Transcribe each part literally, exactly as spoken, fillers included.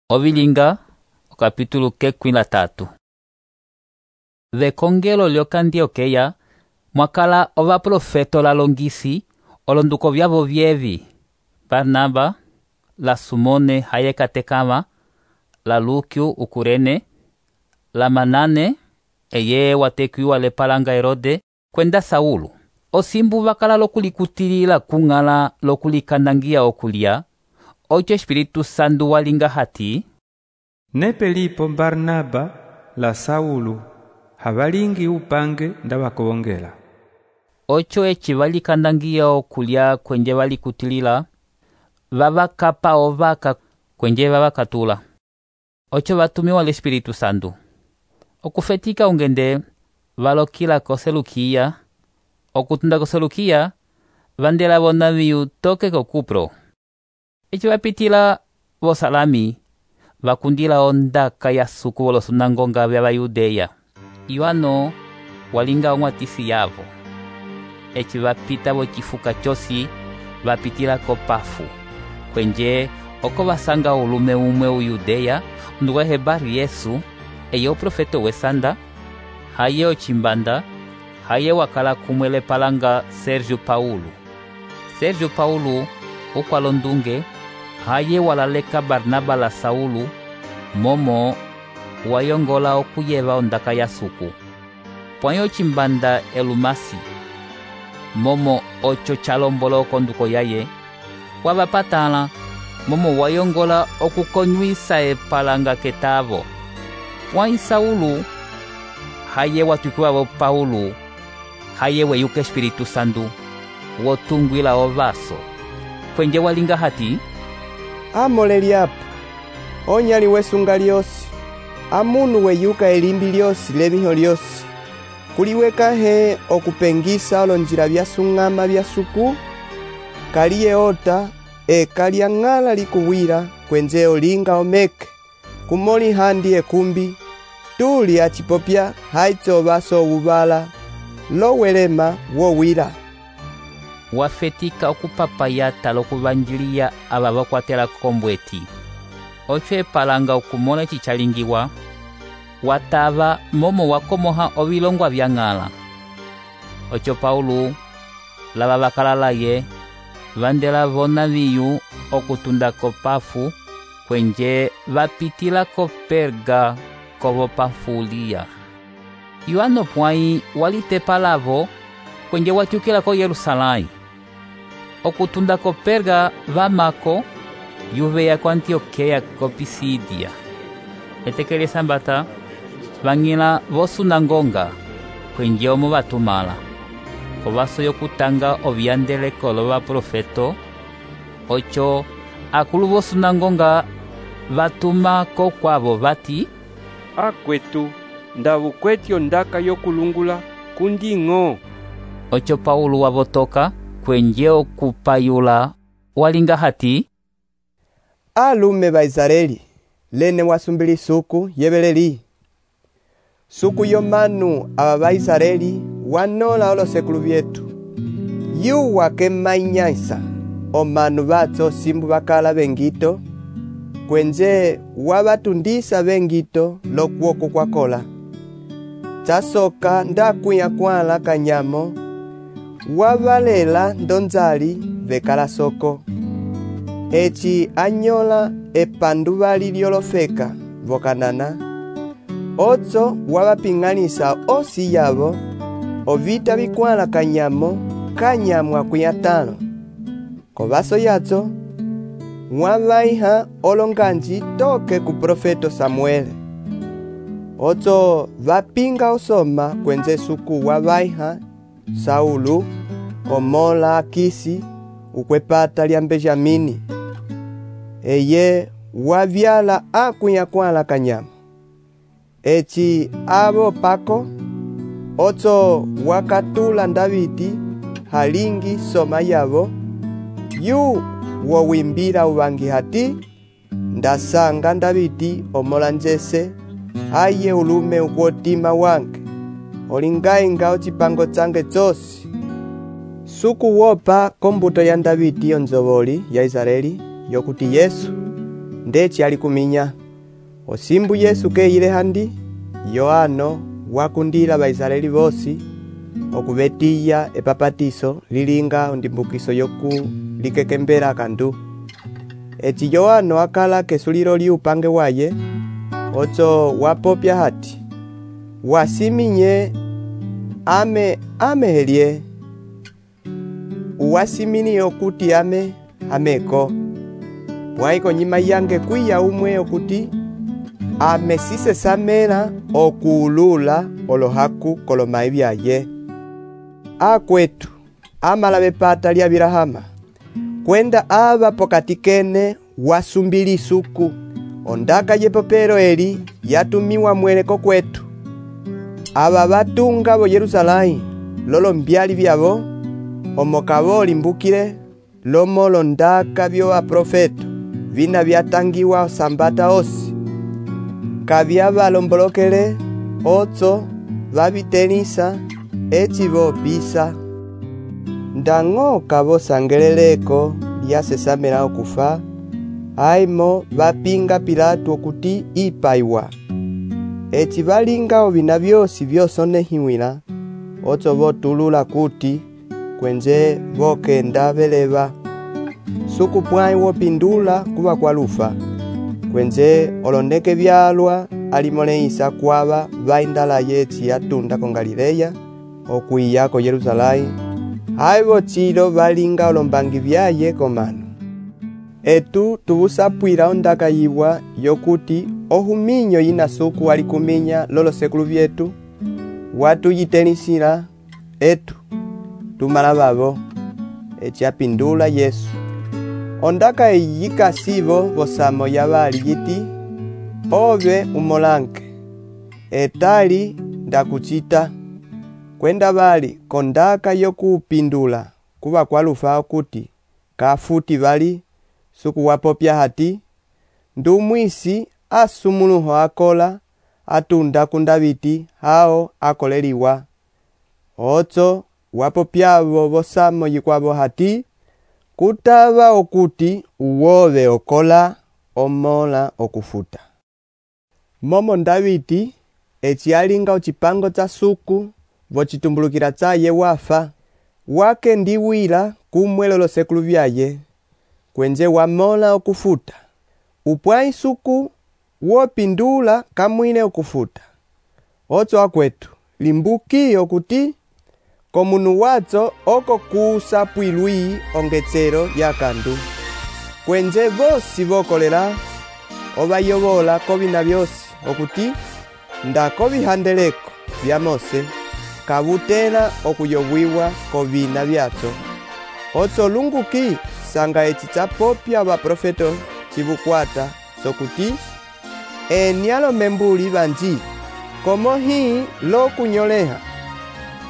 Ovilinga, o capítulo kekwi la tatu. Vekongelo lyoka Antiokeya, mwakala ova profeto la longisi, olonduko vyavo vyevi, Barnaba, la Sumone hayekatekama, la Lukio ukurene, la Manane, eye watekiwa lepalanga Herode, kwenda Saulu. Osimbu vakala lokulikutilila kung'ala lokulikandangia okulia, ocho Espiritu Santo walinga hati, nepe lipo Barnaba la Saulu, havalingi upange ndavakongela. Ocho echi valikandangia okulia kwenje valikutilila, vavakapa ovaka kwenje vavakatula. Ocho vatumiwa l'Espiritu Santo. Okufetika ungende, valokila ko Selukia, okutunda ko Selukia, vandela vonaviu toke ko Kupro. Echi vapitila vosalami, vakundila ondaka ya suku volosunangonga vya Vayudeya. Iwano walinga omwatisi yavo. Echi vapita vochifuka chosi, vapitila ko Pafu. Kwenje oko vasanga ulume umwe uyudeya, nduwehe Bari Yesu, eye uprofeto wesanda, haye ochimbanda, haye wakala kumwele palanga Sergio Paulo. Sergio Paulo, ukwalondunge, haye walaleka Barnaba la Saulu, momo wayongola okuyeva ondaka ya suku. Pwanyo chimbanda Elumasi, momo ocho chalombolo konduko yaye, wavapatala, momo wayongola okukonyuisa epalanga ketavo. Pwanyi Saulu, haye watukiwavo Paulo, haye weyuka Espiritu Santo, wotungwila ovaso. Kwenje walinga hati, amole liapo, onyali wesunga lyosi, amunu weyuka elimbi lyosi leviho lyosi, kuliweka he okupengisa olonjila vyasung'ama vyasuku, kaliye ota, e kalyang'ala likuwira, kwenje olinga omeke, kumoli handi ekumbi, tuli achipopya haito vaso uvala, lowelema wowira. Wafetika okupapayata lokuvanjilia aba vakwatela kombweti. Ocho epalanga okumona chichalingiwa, watava momo wakomoha ovilongwa vyang'ala. Ocho Paulo, lava vakalalaye, vandela vona viyu okutunda ko Pafu, kwenje vapitila ko Perga kovo Pafulia. Iwano pwanyi walitepalavo, kwenje watiukila ko Yerusalai. Okutunda ko Perga vamako, yuveya ko Antiokeya ko Pisidia. Etekele sambata, vang'ila vosunangonga, kwenje omo vatumala. Kovaso yokutanga ovyandeleko lova profeto, ocho akulu vosunangonga vatuma ko kwavo vati, akwetu, ndavukwetyo ndaka yokulungula kunding'o. Ocho Paulo wavotoka, kwenje okupayula, walinga hati, alume ba Israeli, lene wasumbili suku yebeleli. Suku yomanu aba ba Israeli, wanola olosekulu vyetu. Yu wake mainyaisa, omanu batso simbu bakala bengito, kwenje wabatundisa bengito lokuoko kwa kola. Chasoka ndakuya kwala kanyamo, wabalela ndonzali vekala soko. Echi anyola epandu bali lyolofeka vokanana. Otso wabaping'anisa osi yabo, ovita bikwala kanyamo, kanyamo akuyatano. Kovaso yatso, wabaiha olonganji toke ku profeto Samuel. Otso vapinga osoma kwenze suku wabaiha Saulu, omola Akisi, ukwepata lya Benjamini. Eye wavyala akuya kwala kanyama. Echi abo pako, otso wakatula Davidi, halingi soma yabo, yu wowimbira ubangi hati, ndasanga Davidi omola njese, aye ulume ukwotima wange, olingainga ochipango change chosi. Suku wopa kombuto ya Davidi onzoboli ya Israeli, yokuti Yesu, ndeci ali kuminya. Osimbu Yesu keyile handi, Yohano wakundila Baisraeli bosi okubetiya epapatiso lilinga ondimbukiso yoku likekembela kandu. Eti Yohano akala kesulilo li upange waye, ocho wapopya hati, wasiminye ame ame helie, uwasimini okuti ame ameko. Waiko nyima yange kwiya umwe okuti ame sise samela okuulula olohaku kolomai byaye. Akwetu amala bepata lya Abilahama kwenda aba pokati kene wasumbili suku ondaka yepopero eli yatumiwa mweleko kwetu. Aba batunga bo Yerusalai lolo mbyali byabo omokabo limbukile lomo londaka byo aprofeto vina byatangiwa sambata osi kabya balombolokele otso babitenisa echibo bisa ndango kabo sangeleleko lyasesamela okufa aimo bapinga Pilato okuti ipaiwa echi balinga obina byosi byosonehiwila otso botulula kuti kwenze bokenda beleba suku pwai wopindula kuba kwa lufa kwenze olondeke byalwa alimoleisa kwaba baindala yechi yatunda ko Galileya okwiya ko Yerusalai haibo chilo balinga olombangi byaye komano. Etu tubusapwila ondaka yibwa yokuti ohuminyo yina suku ali kuminya lolo sekulu byetu watu yitenisila etu tumala babo echi apindula Yesu. Ondaka yika sibo bosamo yabali yiti obe umolanke etali ndakuchita kwenda bali kondaka yokupindula kuba kwa lufa okuti kafuti bali suku wapopya hati ndumwisi asumuluho akola atunda kundabiti hao akoleliwa otso wapopyabo bosamo yikwabo hati kutaba okuti uwobe okola omola okufuta. Momo Ndabiti echi alinga ochipango cha suku bochitumbulukila chaye wafa wake ndiwila kumwelolo sekulu byaye kwenze wamola okufuta upwai suku wopindula kamwine okufuta otso akwetu limbuki okuti komunu watso oko kusapwilwi ongetsero yakandu kwenze bosi bokolela obayobola kobina byosi okuti ndakobihandeleko bya Mose kabutela okuyobwiwa kobina byatso otso lunguki sanga echi chapopya baprofeto chibukwata sokuti enialo membuli banji komo hii lo kunyoleha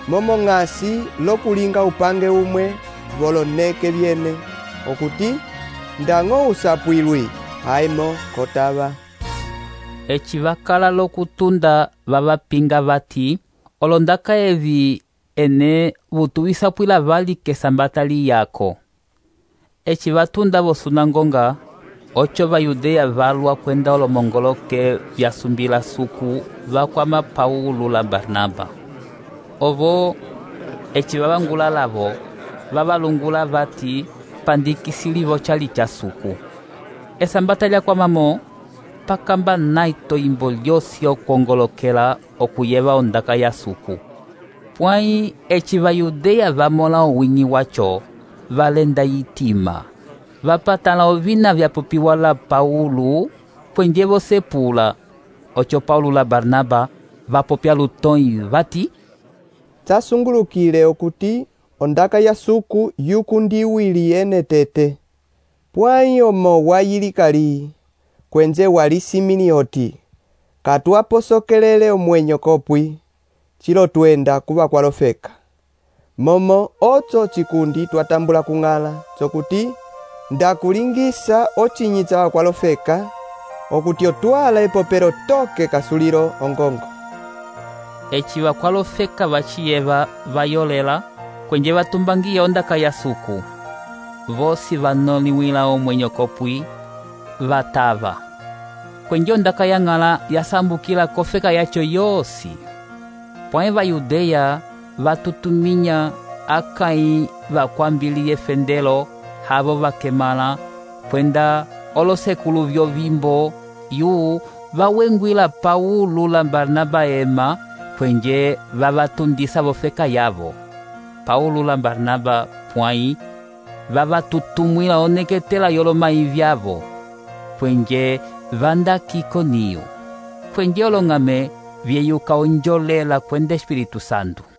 momo ngasi lo kulinga upange umwe boloneke byene okuti ndango usapwilwi haimo kotaba. Echi bakala lokutunda babapinga bati olondaka evi ene butuisa pwila bali kesambatali yako. Echi batunda bosunangonga ocho bayudea valwa kwenda olomongoloke byasumbila suku bakwama Paulo la Barnaba. Ovo echi babangula labo babalungula bati pandikisilivo chali cha suku. Esambata kwa mamo pakamba naito imbolyosi okongolokela okuyeba ondaka ya suku. Pwai echi bayudea vamola owingi wacho valenda yitima. Vapatala ovina vya popiwala Paulo kwenjevo sepula. Ocho Paulo la Barnaba vapopya lutoi vati tasungulukile okuti ondaka ya suku yukundiwili ene tete. Pwai omo wayilikali kwenze walisimini oti katuaposokelele omwenyo kopwi chilo twenda kuba kwalofeka. Momo otso chikundi twatambula kungala chokuti ndakulingisa ochinyitsa wa kwalofeka okuti otwala epopero toke kasuliro ongongo. Echi wa kwalofeka bachiyeva bayolela kwenje batumbangiya ondaka ya suku. Vosi vanoliwila omwenyo kopwi vatava. Kwenje ondaka yang'ala yasambukila kofeka yacho yosi. Pwãe Vayudeya vatutuminya akãyi vakwambile efendelo havo vakemala kwenda olosekulu vyovimbo yu vawengwila Paulo la Barnaba ema kwenje vavatundisa vofeka yavo. Paulo la Barnaba pwãyi vavatutumwila oneketela yolomayi vyavo kwenje vanda k'Ikoniyo kwenje olong'ame vyeyuka onjolela kwenda Espiritu Santo.